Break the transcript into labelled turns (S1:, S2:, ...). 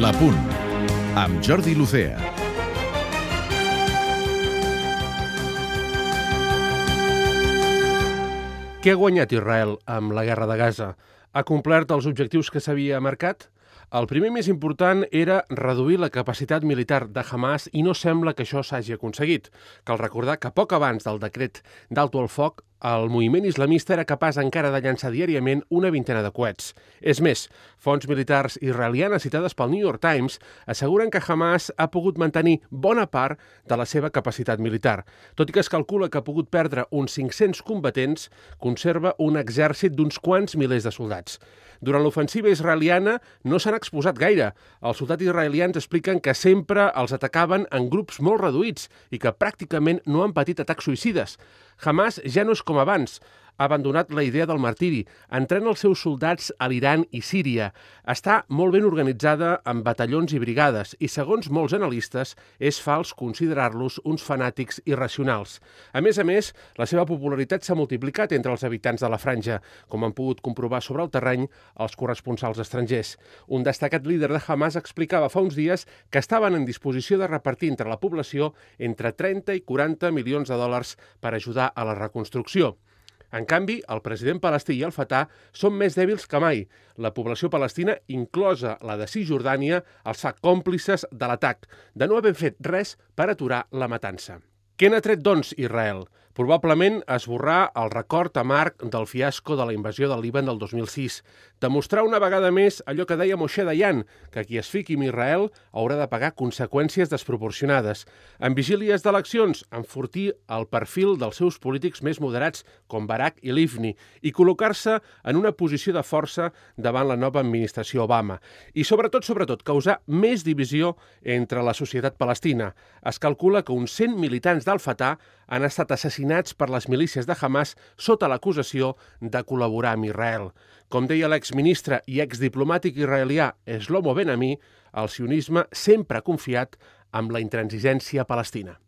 S1: La Punt, amb Jordi Lucea.
S2: Què ha guanyat Israel amb la guerra de Gaza? Ha complert els objectius que s'havia marcat? El primer més important era reduir la capacitat militar de Hamas i no sembla que això s'hagi aconseguit. Cal recordar que poc abans del decret d'alto el foc, el moviment islamista era capaç encara de llançar diàriament una vintena de coets. És més, fonts militars israelianes citades pel New York Times asseguren que Hamas ha pogut mantenir bona part de la seva capacitat militar. Tot i que es calcula que ha pogut perdre uns 500 combatents, conserva un exèrcit d'uns quants milers de soldats. Durant l'ofensiva israeliana no s'han exposat gaire. Els soldats israelians expliquen que sempre els atacaven en grups molt reduïts i que pràcticament no han patit atacs suïcides. Hamas ja no és com abans. Ha abandonat la idea del martiri, entrena els seus soldats a l'Iran i Síria. Està molt ben organitzada amb batallons i brigades i, segons molts analistes, és fals considerar-los uns fanàtics irracionals. A més, la seva popularitat s'ha multiplicat entre els habitants de la franja, com han pogut comprovar sobre el terreny els corresponsals estrangers. Un destacat líder de Hamas explicava fa uns dies que estaven en disposició de repartir entre la població entre 30 i 40 milions de dòlars per ajudar a la reconstrucció. En canvi, el president palestí i el Fatah són més dèbils que mai. La població palestina, inclosa la de Cisjordània, els fa còmplices de l'atac, de no haver fet res per aturar la matança. Què n'ha tret, doncs, Israel? Probablement esborrar el record amarg del fiasco de la invasió del Líban del 2006. Demostrar una vegada més allò que deia Moshe Dayan, que qui es fiqui amb Israel haurà de pagar conseqüències desproporcionades. En vigílies d'eleccions, enfortir el perfil dels seus polítics més moderats, com Barak i Livni, i col·locar-se en una posició de força davant la nova administració Obama. I sobretot, causar més divisió entre la societat palestina. Es calcula que uns 100 militants del Fatah han estat assassinats per les milícies de Hamas sota l'acusació de col·laborar amb Israel. Com deia l'exministre i exdiplomàtic israelià Shlomo Ben-Ami, el sionisme sempre ha confiat en la intransigència palestina.